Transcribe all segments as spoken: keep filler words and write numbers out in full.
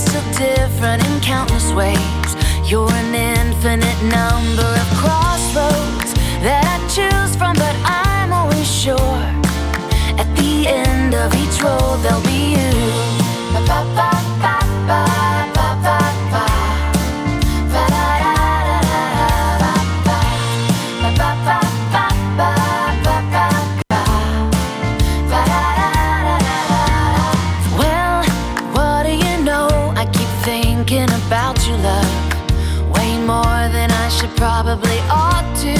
so different in countless ways. You're an infinite number of crossroads that I choose from, but I'm always sure at the end of each road there'll be you. Ba ba ba ba ba ba ba ba. Ba da da da da ba ba. Ba ba ba ba ba ba ba ba. Ba da da da da da. Well, what do you know? I keep thinking about you, love, way more than I should probably ought to.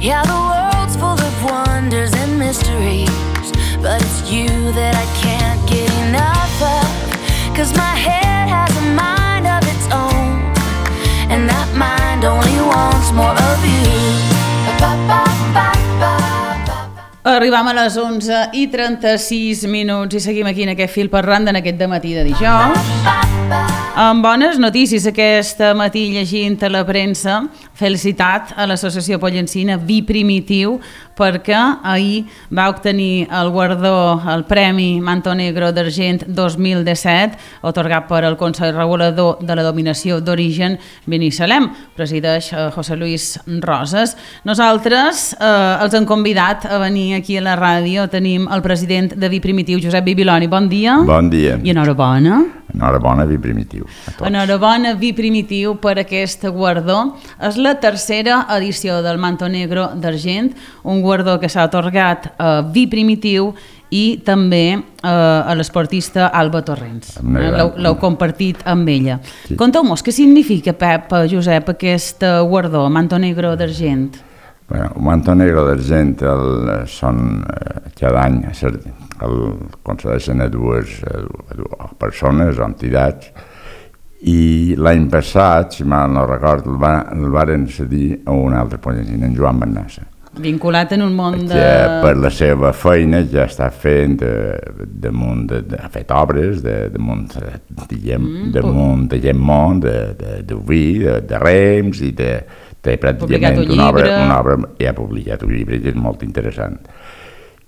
Yeah, the world's full of wonders and mysteries, but it's you that I can't get enough of. Cause my head has a mind of its own, and that mind only wants more of you. Ba, ba, ba, ba, ba. Arribam a les onze i trenta-sis minuts i seguim aquí en aquest fil parlant en aquest dematí de dijous. Amb bones notícies aquest matí llegint a la premsa. Felicitat a l'associació pollencina Vi Primitiu, perquè ahir va obtenir el guardó, el Premi Manto Negro d'Argent dos mil disset, otorgat per el Consell Regulador de la Dominació d'Origen Binissalem. Presideix eh, José Luis Rosas. Nosaltres eh, els hem convidat a venir aquí a la ràdio. Tenim el president de Vi Primitiu, Josep Bibiloni. Bon dia. Bon dia. I enhorabona. Enhorabona, Vi Primitiu. Enhorabona, Vi Primitiu, per aquest guardó. És la tercera edició del Manto Negro d'Argent, un guardó que s'ha atorgat a Vi Primitiu i també eh, a l'esportista Alba Torrents. Eh, l'heu compartit amb ella. Sí. Conteu-nos, què significa, Pep, Josep, aquest guardó, Manto Negro d'Argent? Bueno, el Manto Negro d'Argent el, són eh, cada any el concedeixen a dues, a dues persones o entitats, i l'any passat, si mal no record, el, va, el varen cedir a un altre pollencina, en Joan Bernassa. Vinculat en un món de... Que per la seva feina ja està fent de, de munt, de, de, ha fet obres de, de munt, diguem, mm, de munt, de gent món, de, de, de vi, de, de rems, i de, de pràcticament un una obra, una obra, i ha publicat un llibre que és molt interessant.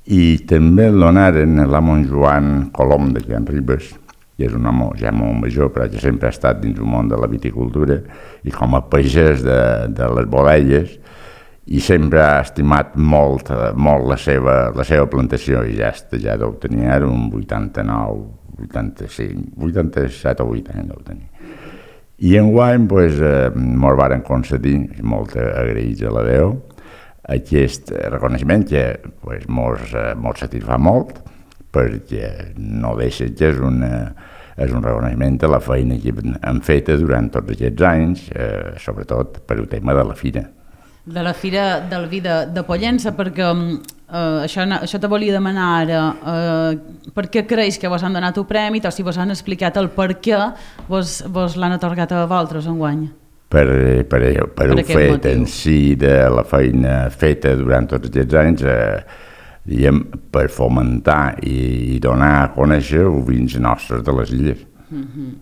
I també el donaren a l'amo Joan Colom de Can Ribes, que és un home ja molt major, però que sempre ha estat dins el món de la viticultura, i com a pagès de, de les Bolelles, i sempre ha estimat molt, molt la, seva, la seva plantació, i ja, ja deu tenir ara un vuitanta-nou, vuitanta-cinc, vuitanta-set o vuit anys deu tenir. I enguany pues, eh, mos varen concedir, molt agraïts a la Déu, aquest reconeixement que pues, mos, eh, mos satisfà molt, perquè no deixa que és, una, és un reconeixement de la feina que hem fet durant tots aquests anys, eh, sobretot per el tema de la fira. De la Fira del Vi de, de Pollença, perquè eh, això, això te volia demanar ara, eh, per què creus que vos han donat el premi, o si vos han explicat el per què vos, vos l'han atorgat a vosaltres enguany? Per, per, per, per el fet motiu. En si de la feina feta durant tots aquests anys, eh, diguem, per fomentar i, i donar a conèixer els vins nostres de les illes. Mm-hmm.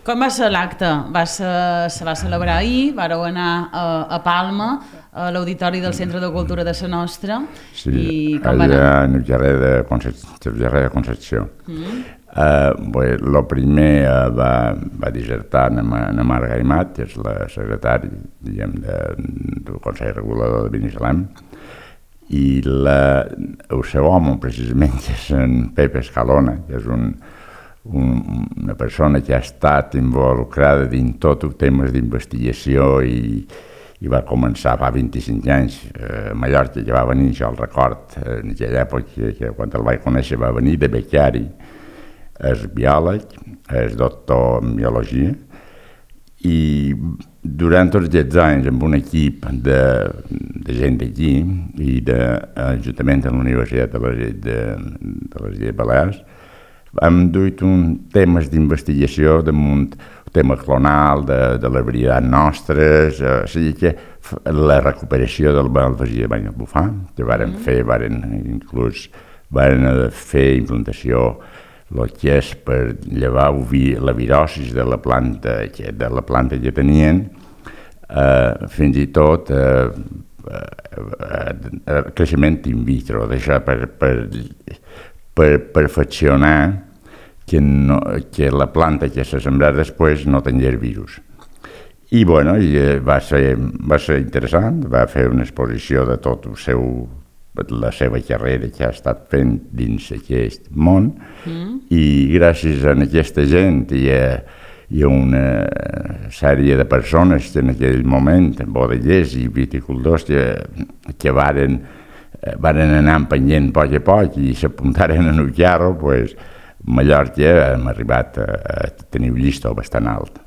Com va ser l'acte? Va ser, se va celebrar ahir, vareu anar a, a Palma, a l'Auditori del Centre de Cultura de la Nostra. Sí, i com allà va en el carrer de, Concepció, de Concepció. Mm. Uh, bé, el primer uh, va, va dissertar en, en Marga Imat, que és la secretària, diguem, de, del Consell Regulador de Binissalem, i la, el seu home, precisament, que és en Pepe Escalona, que és un, un, una persona que ha estat involucrada dins tot els temes d'investigació i, i va començar fa vint-i-cinc anys a Mallorca, que va venir, jo el record, en aquella època, que quan el vaig conèixer va venir de becari, és biòleg, és doctor en biologia, i durant tots aquests anys amb un equip de, de gent d'aquí i de, juntament amb la Universitat de les, de, de les Illes Balears, hem duit un temes d'investigació damunt el tema clonal de, de les varietats nostres, eh, o sigui que la recuperació del malvasia de Banyalbufar, que varen mm. fer, varen inclús varen fer implantació el que és per llevar la virosis de la planta que, de la planta que tenien, eh, fins i tot eh, eh, creixement in vitro, d'això per, per, per perfeccionar que, no, que la planta que se sembrar després no tingués virus. I, bueno, i va, ser, va ser interessant, va fer una exposició de tot el seu, la seva carrera que ha estat fent dins aquest món, mm. i gràcies a aquesta gent i a, i a una sèrie de persones que en aquell moment, bodellers i viticultors, que, que varen, varen anar empenyent a poc a poc i s'apuntaren en el carro, pues, Mallorca hem arribat a, a tenir un llistó bastant alt.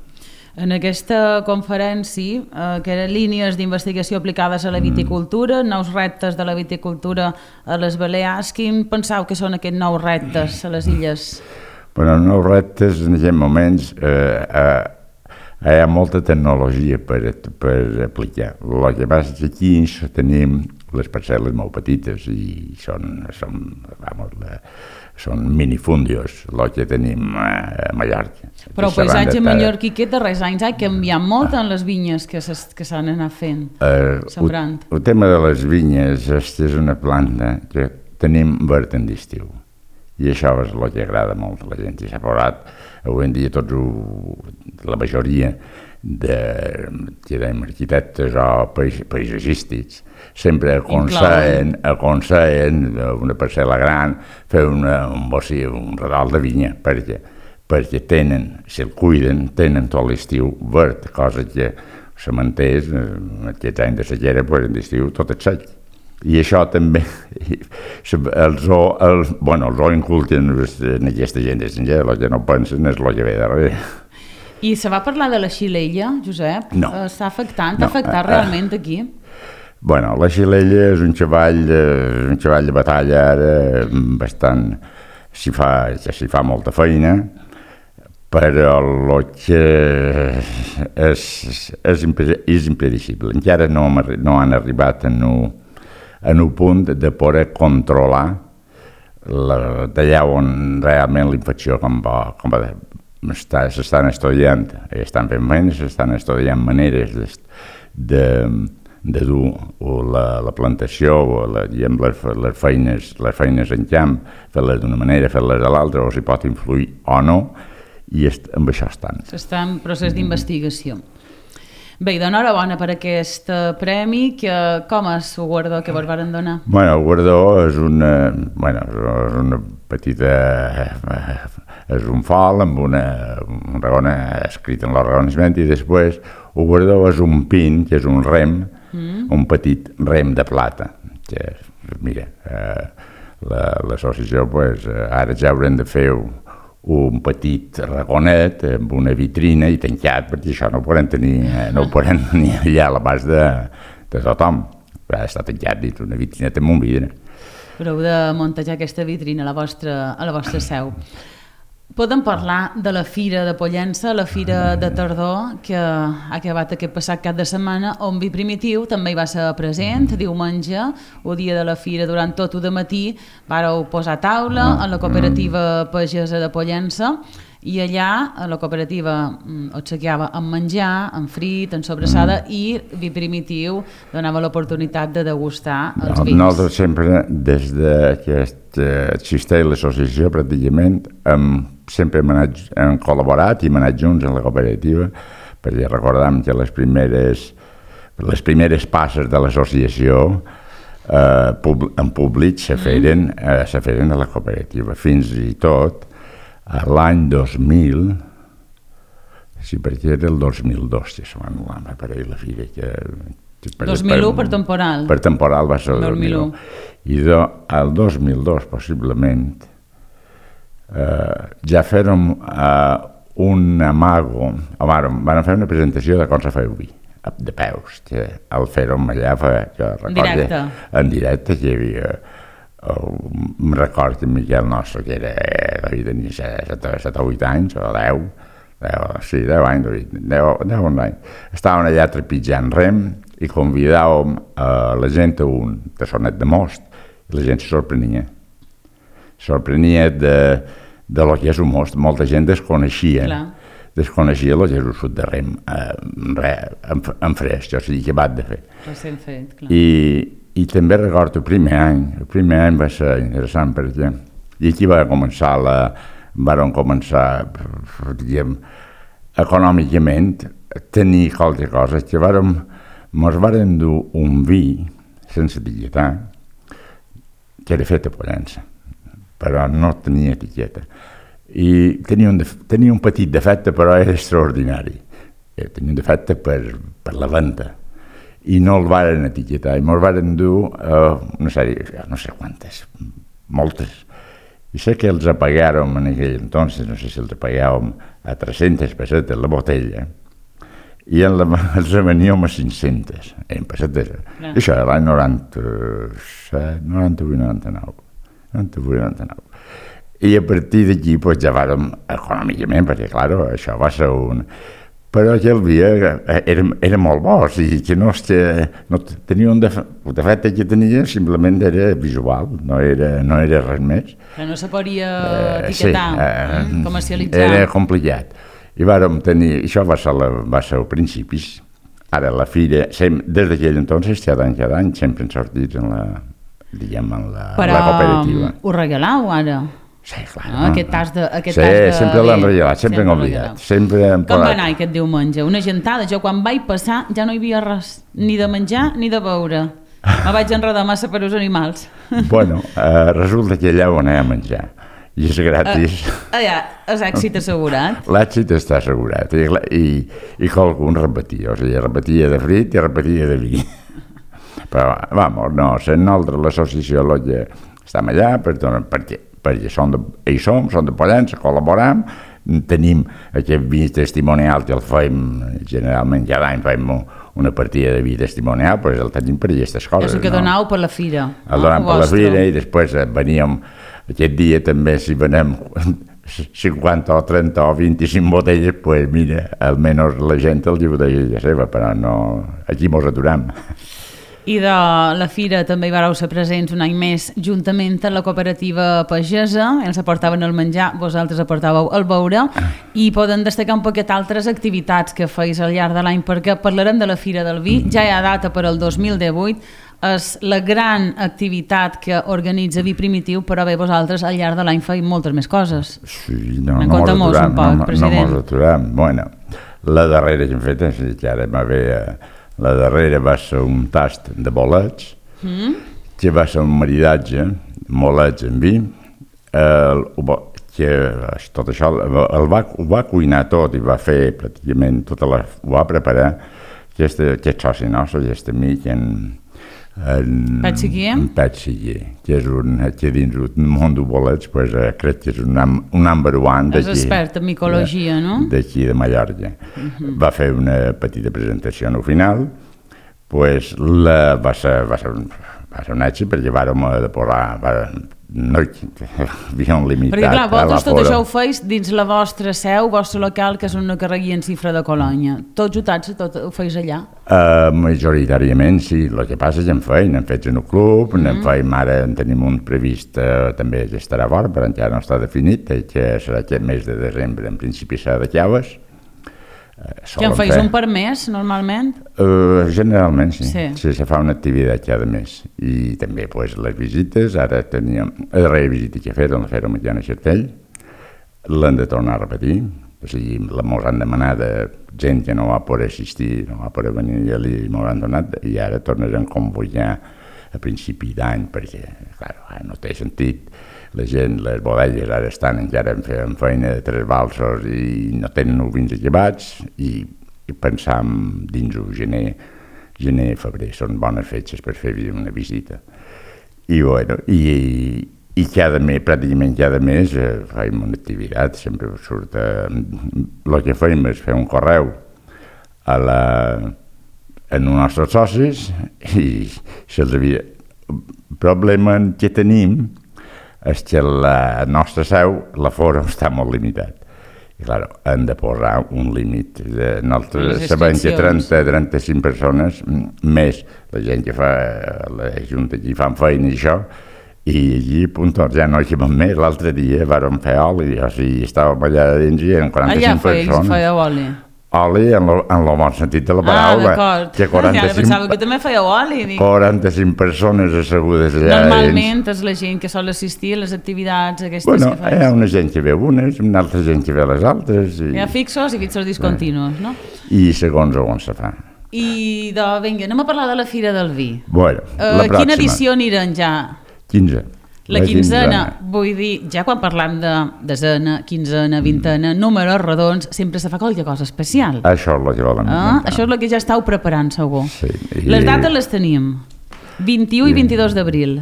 En aquesta conferència, eh, que eren línies d'investigació aplicades a la viticultura, mm. nous reptes de la viticultura a les Balears, quin penseu que són aquests nous reptes a les illes? Bueno, nous reptes en aquests moments eh, eh, hi ha molta tecnologia per, per aplicar. El que passa és que aquí tenim les parcel·les molt petites i són, són, vamos, la, són minifundios, el que tenim a Mallorca. Però el paisatge mallorquí aquests darrers anys ha canviat molt en les vinyes que s'han anat fent, uh, sembrant. El, el tema de les vinyes és una planta que tenim verd en l'estiu. I això és el que agrada molt a la gent. I s'ha posat, avui en dia, tots ho, la majoria de, que dèiem, arquitectes o pais, paisatgístics sempre aconsellen, aconsellen una parcel·la gran fer una, un bocí, un redol de vinya, perquè, perquè tenen, si el cuiden, tenen tot l'estiu verd, cosa que se mantés en aquests anys de sequera, pues, en l'estiu tot és sec. I això també, els ho, el, bueno, els ho inculquen en aquesta gent estrangera, el que no pensen és el que ve darrere. I se va parlar de la xilella, Josep? No. Està afectant, no. afectat uh, realment aquí? Bueno, la xilella és un xavall, és un xavall de batalla ara bastant, s'hi fa, s'hi fa molta feina, però el que és, és, és impredicible. Encara no, no han arribat en un, en un punt de poder controlar d'allà on realment la infecció com va, com va s'estan estudiant, estan fent feines, s'estan estudiant maneres de, de, de dur la, la plantació o la, diguem, les, les, feines, les feines en camp, fer-les d'una manera, fer-les de l'altra, o si pot influir o no, i est, amb això estan. S'està en procés d'investigació. Bé, i d'enhorabona per aquest premi, que, com és el guardó que vos varen donar? Bueno, el guardó és una, bueno, és una petita, és un fol amb una, un regona escrit en l'arregoniment, i després el guardó és un pin, que és un rem, mm. un petit rem de plata, que, mira, eh, l'associació, pues, ara ja haurem de fer un petit ragonet amb una vitrina i tancat, perquè això no ho podem tenir, no ho podem tenir allà a l'abast de, de tothom. Ha d'estar tancat dins una vitrineta amb un vidre. Però heu de muntejar aquesta vitrina a la vostra, a la vostra seu. Podem parlar de la Fira de Pollença, la Fira de Tardor, que ha acabat aquest passat cap de setmana, on Vi Primitiu també hi va ser present, diumenge, el dia de la Fira, durant tot el dematí, vàreu posar taula a la cooperativa pagesa de Pollença, i allà a la cooperativa obsequiava amb menjar, amb frit, amb sobrassada, i Vi Primitiu donava l'oportunitat de degustar els vins. Nosaltres sempre, des que existeix l'associació, pràcticament, hem, sempre hem, anat, hem col·laborat i hem anat junts en la cooperativa, perquè recordem que les primeres, les primeres passes de l'associació eh, pub, en públic se feren, eh, se feren a la cooperativa, fins i tot l'any dos mil, sí, perquè era el dos mil dos que se va anul·lar, m'apareix la fira que... dos mil u per temporal. Per temporal va ser el dos mil u. I do, el dos mil dos, possiblement, eh, ja fèrem eh, un amago, van, van fer una presentació de com se feia vi, de peus, que el fèrem allà, que en directe. En directe, que hi havia... Em record que Miquel nostre, que era, devia tenir set o vuit anys, o deu, sí, deu anys, deu anys, estaven allà trepitjant rem i convidàvem la gent a un tassonet de most, i la gent se sorprenia. Sorprenia de, de lo que és un most. Molta gent desconeixia, Clar. desconeixia el que és un sud de rem en, en fresc, o sigui, que bat de fer. Recent fet, clar. I I també recordo el primer any, el primer any va ser interessant perquè i aquí va començar la, varen començar, diguem, econòmicament, a tenir qualque cosa, que vàrem, mos varen dur un vi sense etiquetar, que era fet a Pollença, però no tenia etiqueta. I tenia un, tenia un petit defecte, però era extraordinari. Tenia un defecte per, per la venda. I no el varen etiquetar, i mos varen dur uh, una sèrie, no sé quantes, moltes. I sé que els apagàrem en aquell entonces, no sé si els apagàvem a tres-centes pessetes la botella, i en la, els veníem a cinc-centes, en pessetes. Ah. I això era l'any noranta-set, noranta-vuit noranta-nou. noranta-vuit noranta-nou. I a partir d'aquí pues, ja vàrem econòmicament, perquè, clar, això va ser un... Però aquell dia era, era molt bo, o sigui, que no, que no tenia un defecte que tenia, simplement era visual, no era, no era res més. Però no se podia etiquetar, uh, sí, uh, comercialitzar. Era complicat. I vàrem tenir, això va ser, la, va ser al principis, ara la fira, sem, des d'aquell entonces, cada any, cada any, sempre hem sortit en la, diguem, en la, Però, la cooperativa. Però ho regaleu ara? Sí, clar. No, no. Aquest tas de... Aquest sí, tas de sempre l'han regalat, sempre hem oblidat. Sempre hem Com va anar aquest diumenge? Una gentada. Jo quan vaig passar ja no hi havia res, ni de menjar ni de beure. Me vaig enredar massa per als animals. Bueno, uh, resulta que allà ho anem a menjar. I és gratis. Uh, allà, és èxit assegurat. L'èxit està assegurat. I, i, i qualcun repetia. O sigui, repetia de frit i repetia de vi. Però, vamos, no, sent nosaltres l'associació Lotja estem allà per, perquè perquè som de, hi som, som de Pollença, col·laboram, tenim aquest vi testimonial que el fem, generalment cada any fem una partida de vi testimonial, però el tenim per aquestes coses. És el que no? donau per la fira. El donem per la fira i després veníem, aquest dia també si venem cinquanta o trenta o vint-i-cinc botelles, doncs pues mira, almenys la gent el diu de la seva, però no, aquí mos aturam. I de la fira també hi vareu ser presents un any més juntament amb la cooperativa pagesa, ells aportaven el menjar, vosaltres aportàveu el beure, i poden destacar un poquet altres activitats que feis al llarg de l'any, perquè parlarem de la Fira del Vi, ja hi ha data per al dos mil divuit, és la gran activitat que organitza Vi Primitiu, però bé, vosaltres al llarg de l'any feu moltes més coses. Sí, no, en no compte molts un poc, no, president. No mos aturem. Bueno, la darrera que hem fet, és que ara m'haver... La darrera va ser un tast de bolets, mm. que va ser un maridatge, bolets amb vi, el, que tot això el va, ho va cuinar tot i va fer pràcticament tota la... ho va preparar aquest, aquest soci nostre, aquest amic, en, en Pet Seguier, en Pet Seguier, que és un, que dins un món de bolets, pues, crec que és un, un number one d'aquí. És expert en micologia, no? D'aquí de Mallorca. Uh-huh. Va fer una petita presentació al final, pues, la, va, ser, va, ser, va ser un èxit perquè vàrem de posar... Va, no hi havia un limitat. Perquè clar, vosaltres tot això ho feis dins la vostra seu, vostre local, que és una carregui en Cifra de Colònia. Tots jutats, tot ho feis allà? Uh, majoritàriament sí, el que passa és que en feim, en fets en un club, mm. en feim ara, en tenim un previst uh, també que estarà fora, però encara no està definit, que serà aquest mes de desembre, en principi serà de Llaves. Uh, que en feis fer. Un per mes, normalment? Uh, generalment, sí. Sí. Sí, se fa una activitat cada mes. I també pues, les visites, ara teníem... La darrera visita que he fet, la fèiem a Jana Xertell, l'hem de tornar a repetir, o sigui, la mos han demanat de gent que no va poder assistir, no va poder venir allà i mos han donat, i ara tornarem a convocar a principi d'any, perquè, clar, no té sentit. La gent, les bodegues ara estan encara en feina de tres balsos i no tenen els vins acabats i, i pensam dins el gener, gener i febrer, són bones fetges per fer una visita. I bueno, i, i cada mes, pràcticament cada mes eh, fem una activitat, sempre surt... Eh, el que fem és fer un correu a la, en els nostres socis i se'ls havia... El problema que tenim és que la nostra seu, l'aforo està molt limitat. I, clar, hem de posar un límit. Nosaltres sabem que trenta a trenta-cinc persones, més la gent que fa, la junta que fan feina i això, i allí, punt, ja no hi cabem més. L'altre dia vàrem fer oli, o sigui, estàvem allà dins i eren quaranta-cinc persones. Allà fèieu oli? oli en el bon sentit de la paraula. Ah, d'acord. Que quaranta-cinc, ja pensava que també fèieu oli. Dic. quaranta-cinc persones assegudes allà. Normalment és la gent que sol assistir a les activitats aquestes bueno, que fas. Hi ha una gent que ve unes, una altra gent que ve les altres. I... Hi ha fixos i fixos discontinus, no? I segons on se fa. I, de, vinga, anem a parlar de la Fira del Vi. Bueno, uh, la pròxima. Quina edició aniran ja? quinze. La, la quinzena, quinzena, vull dir, ja quan parlam de desena, quinzena, vintena, mm. números redons, sempre se fa qualque cosa especial. Això és el que volem ah, Això és el que ja estàu preparant, segur. Sí, i... Les dates les tenim, vint-i-u i vint-i-dos d'abril.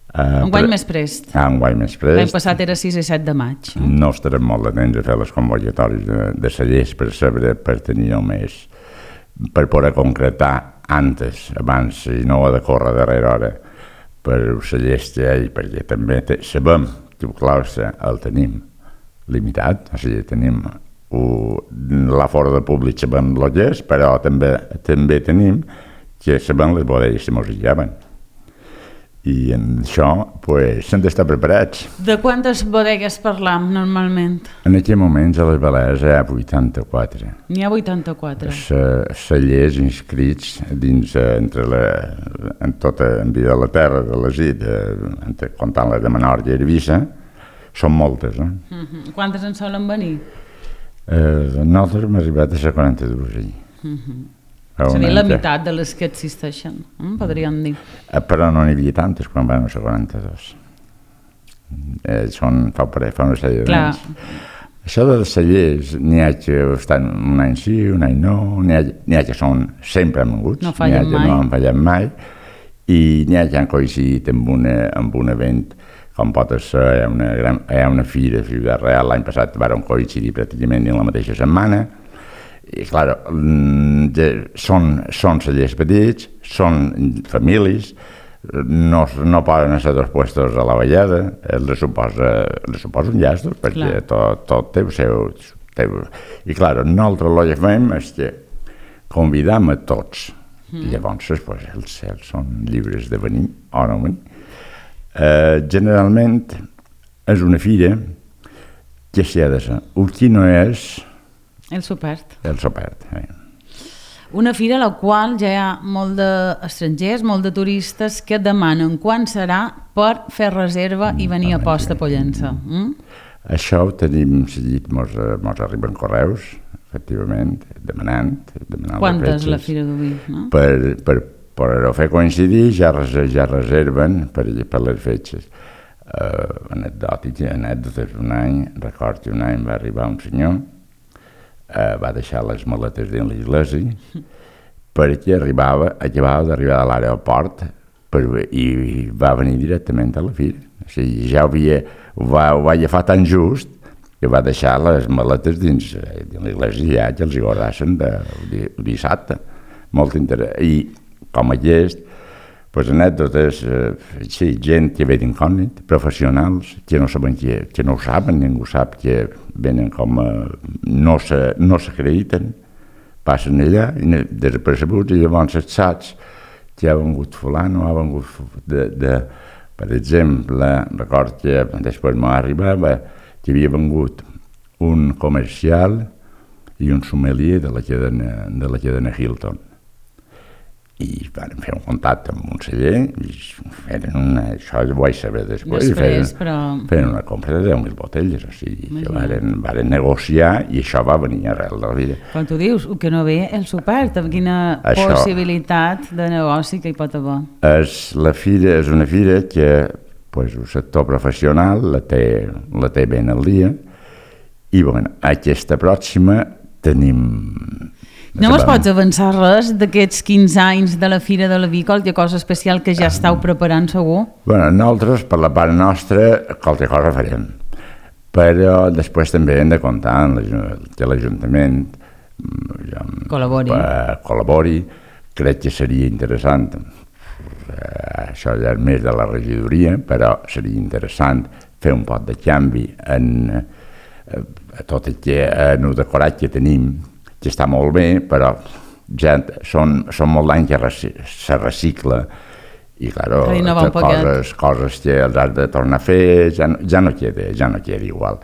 Uh, enguany pre... més prest. Ah, enguany més prest. L'any passat era sis i set de maig. Eh? No estarem molt atents a fer les convocatòries de, de cellers per saber, per tenir només, per poder concretar antes, abans, i no ha de córrer darrere hora, per els cellers que hi ha, perquè també te, sabem que el claustre el tenim limitat, o sigui, tenim l'afora de públic, sabem el que és, però també, també tenim que sabem les bodegues que mos hi lleven. I en això pues, s'han d'estar preparats. De quantes bodegues parlam normalment? En aquest moment a les Balears hi ha vuitanta-quatre. N'hi ha vuitanta-quatre. Cellers inscrits dins, entre la, en tota en vida de la terra, de les illes, comptant les de Menorca i Eivissa, són moltes. Eh? Uh-huh. Quantes en solen venir? Eh, nosaltres hem arribat a ser quaranta-dos allí. Uh-huh. És a dir, la meitat de les que existeixen, eh? podríem dir. Eh, però no n'hi havia tantes quan van ser quaranta-dos. Eh, són, fa, fa una sèrie d'anys. Això dels cellers, n'hi ha que estan un any sí, un any no, n'hi ha, n'hi ha que són sempre amoguts, no fallen mai. No han fallat mai, i n'hi ha que han coincidit amb, una, amb un event, com pot ser, hi ha una, gran, hi ha una fira a Ciutat Real, l'any passat van coincidir pràcticament en la mateixa setmana. I, clar, són, són cellers petits, són famílies, no, no poden ser dos puestos a la vallada, els suposa, els suposa un llast, perquè clar. tot, tot té el seu... Té... I, clar, nosaltres el que fem és que convidam a tots, mm. i llavors pues, els, els són lliures de venir o no venir. Eh, generalment és una fira que s'hi ha de ser. El que no és... El Supert. El Supert, eh. Una fira a la qual ja hi ha molt d'estrangers, molt de turistes que demanen quan serà per fer reserva i venir a posta a Pollença. Mm? Això ho tenim seguit, mos, mos arriben correus, efectivament, demanant. demanant Quantes la Fira d'Oví? No? Per, per, per fer coincidir ja, ja reserven per, per les fetges. Uh, anecdòtic, anècdotes, un any, record que un any va arribar un senyor, Uh, va deixar les maletes dins l'església perquè arribava, acabava d'arribar a l'aeroport per, i, i va venir directament a la fira. O sigui, ja ho, havia, ho, va, ho va agafar tan just que va deixar les maletes dins, dins l'església ja que els hi guardassen de, de, de dissabte. Molt interessant. I com aquest, pues, anècdotes, eh, sí, gent que ve d'incògnit, professionals, que no saben que, que no ho saben, ningú sap que venen com a, no s'acrediten, passen allà, desapercebuts, i llavors et saps que ha vengut fulano, ha vengut de, de per exemple, record que després m'arribava que havia vengut un comercial i un sommelier de la cadena, de la cadena Hilton. I van fer un contacte amb un celler i feren una... Això ho vaig saber després. Després, feren, però... Feren una compra de deu mil botelles, o sigui, que varen, varen negociar i això va venir arrel de la vida. Quan tu dius, que no ve el Supert, amb quina això, possibilitat de negoci que hi pot haver? És, la fira, és una fira que pues, el sector professional la té, la té ben al dia i bueno, aquesta pròxima tenim... No mos pots avançar res d'aquests quinze anys de la Fira de la Vi, qualque cosa especial que ja estàu preparant segur? Bé, nosaltres, per la part nostra, qualque cosa farem. Però després també hem de comptar que l'Ajuntament col·labori. col·labori. Crec que seria interessant, això ja és més de la regidoria, però seria interessant fer un pot de canvi en tot el que, en el decorat que tenim, que està molt bé, però ja són, són molt d'anys que se recicla i, clar, coses, coses que els has de tornar a fer ja no, ja no queda, ja no queda igual.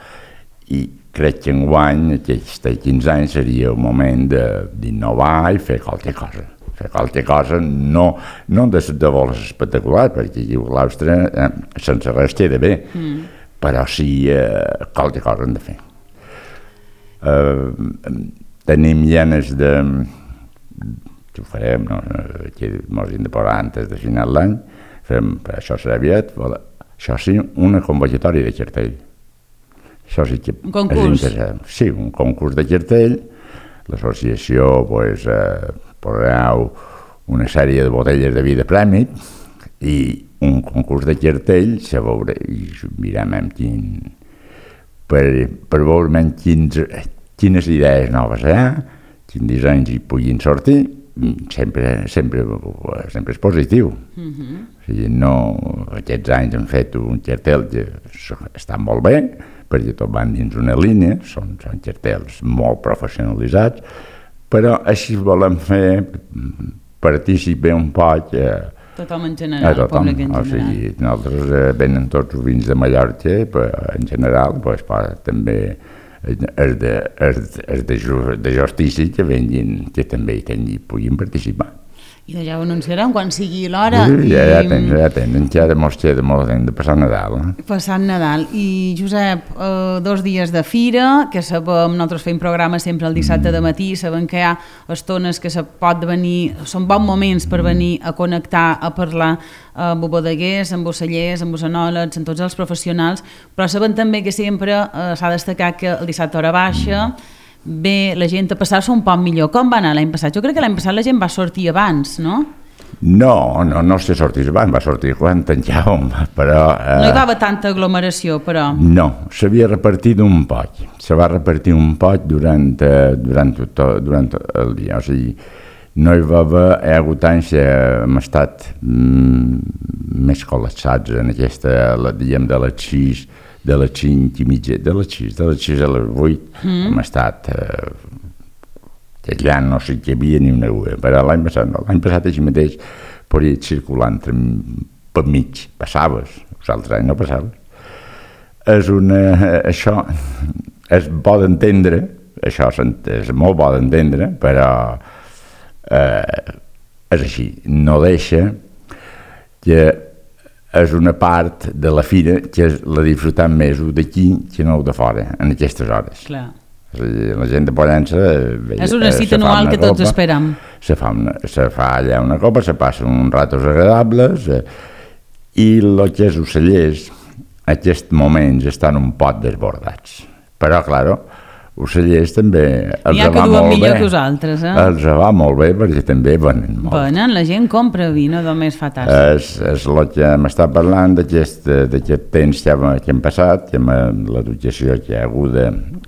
I crec que enguany, aquests quinze anys, seria el moment d'innovar i fer qualque cosa. Fer qualque cosa, no, no de, de vols espectacular, perquè aquí l'Austre eh, sense res queda bé, mm. però sí eh, qualque cosa hem de fer. Eh, tenim llenes de... que ho farem, no? Aquí mos hem de posar antes de final d'any, fem, això serà aviat, això sí, una convocatòria de cartell. Això sí que un concurs. Sí, un concurs de cartell. L'associació pues, eh, posarà una sèrie de botelles de vi de premi i un concurs de cartell se veurà, i mirem amb quin, per, per veure quins, quines idees noves hi ha, quins dissenys hi puguin sortir. Sempre, sempre, sempre és positiu. Mm-hmm. O sigui, no, aquests anys hem fet un cartell que està molt bé, perquè tot van dins una línia, són, són cartells molt professionalitzats, però així volem fer participar un poc a, tothom en general, a tothom. Públic en general. O sigui, nosaltres eh, venen tots els vins de Mallorca, però en general, pues, també els de, els, els de, de justícia que venguin, que també hi puguin participar. I ja ho anunciarem quan sigui l'hora. Sí, ja, ja tenen, ja tenen, ja de molt de molt de passar Nadal. Eh? Passar Nadal. I Josep, eh, dos dies de fira, que sabem, nosaltres fem programa sempre el dissabte de matí, sabem que hi ha estones que se pot venir, són bons moments per venir a connectar, a parlar amb bodeguers, amb ocellers, amb enòlegs, amb tots els professionals, però sabem també que sempre eh, s'ha destacat que el dissabte hora baixa, bé, la gent a passar-se un poc millor. Com va anar l'any passat? Jo crec que l'any passat la gent va sortir abans, no? No, no, no se sortís abans, va sortir quan tancàvem, però... Eh, no hi va haver tanta aglomeració, però... No, s'havia repartit un poc, se va repartir un poc durant, eh, durant, tot, durant tot el dia, o sigui, no hi va haver, hi ha hagut anys que hem estat mm, més col·lapsats en aquesta, la, diguem, de les sis, de les cinc i mitja, de les sis, de les sis a les vuit, mm. hem estat... Eh, allà no sé que hi havia ni una uva, però l'any passat no, l'any passat així mateix podia circular entre, per mig, passaves, els altres anys no passaves. És una... això és bo d'entendre, això és molt bo d'entendre, però eh, és així, no deixa que és una part de la fira que la disfrutem més d'aquí que no de fora, en aquestes hores. Clar. La gent de Pollença... És una cita anual que tots esperem. Se fa, una, se fa allà una copa, se passen uns ratos agradables eh, i el que és ocellers, aquests moments estan un poc desbordats. Però, claro, ocellers també els va molt bé. N'hi ha que duen millor que vosaltres, eh? Els va molt bé perquè també venen molt. Venen, la gent compra vi, no només fa tasses. És, és el que m'està parlant d'aquest temps que, que hem passat, que amb l'educació que hi ha hagut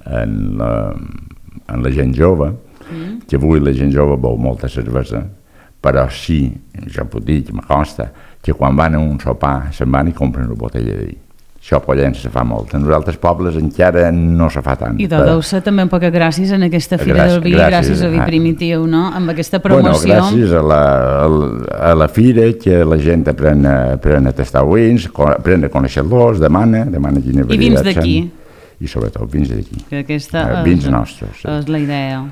en la, en la gent jove, mm. que avui la gent jove beu molta cervesa, però sí, jo puc dir, que me consta, que quan van a un sopar se'n van i compren una botella de vi. Això a Pollença se fa molt. En els altres pobles encara no se fa tant. I deu ser també un poc gràcies en aquesta Fira gràcies, del Vi, gràcies, gràcies a Vi Primitiu, no? Amb aquesta promoció. Bueno, gràcies a la, a la Fira, que la gent aprèn a, aprèn a tastar vins, aprèn a conèixer-los, demana, demana quina varietat. I vins d'aquí. I sobretot vins d'aquí. Que aquesta eh, vins és, nostres. Sí. És la idea.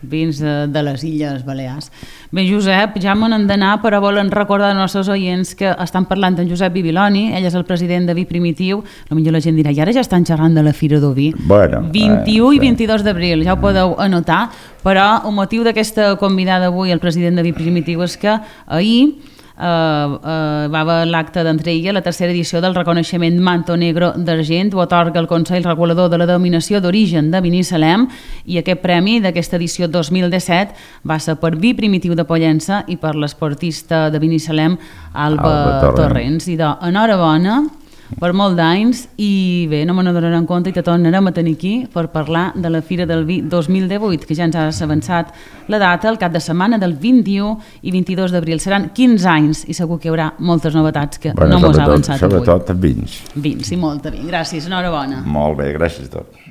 Vins de, de les Illes Balears. Bé, Josep, ja me n'hem d'anar, però volen recordar als nostres oients que estan parlant amb Josep Bibiloni, ell és el president de Vi Primitiu, potser la gent dirà, i ara ja estan xerrant de la Fira del Vi. Bueno, vint-i-u eh, i vint-i-dos d'abril, ja ho podeu anotar, però el motiu d'aquesta convidada avui, el president de Vi Primitiu, és que ahir Uh, uh, va haver l'acte d'entrega, la tercera edició del reconeixement Manto Negro d'Argent, ho atorga el Consell Regulador de la Denominació d'Origen de Binissalem, i aquest premi d'aquesta edició dos mil disset va ser per Vi Primitiu de Pollença i per l'esportista de Binissalem Alba, Alba Torrents. I de enhorabona per molt d'anys, i bé, no me n'adonarem compte i te tornarem a tenir aquí per parlar de la Fira del Vi dos mil divuit, que ja ens has avançat la data, el cap de setmana del vint-i-u i vint-i-dos d'abril. Seran quinze anys i segur que hi haurà moltes novetats que bueno, no mos ha avançat sobretot, avui. Sobretot vins. Vins, i molta vins. Gràcies, enhorabona. Molt bé, gràcies a tots.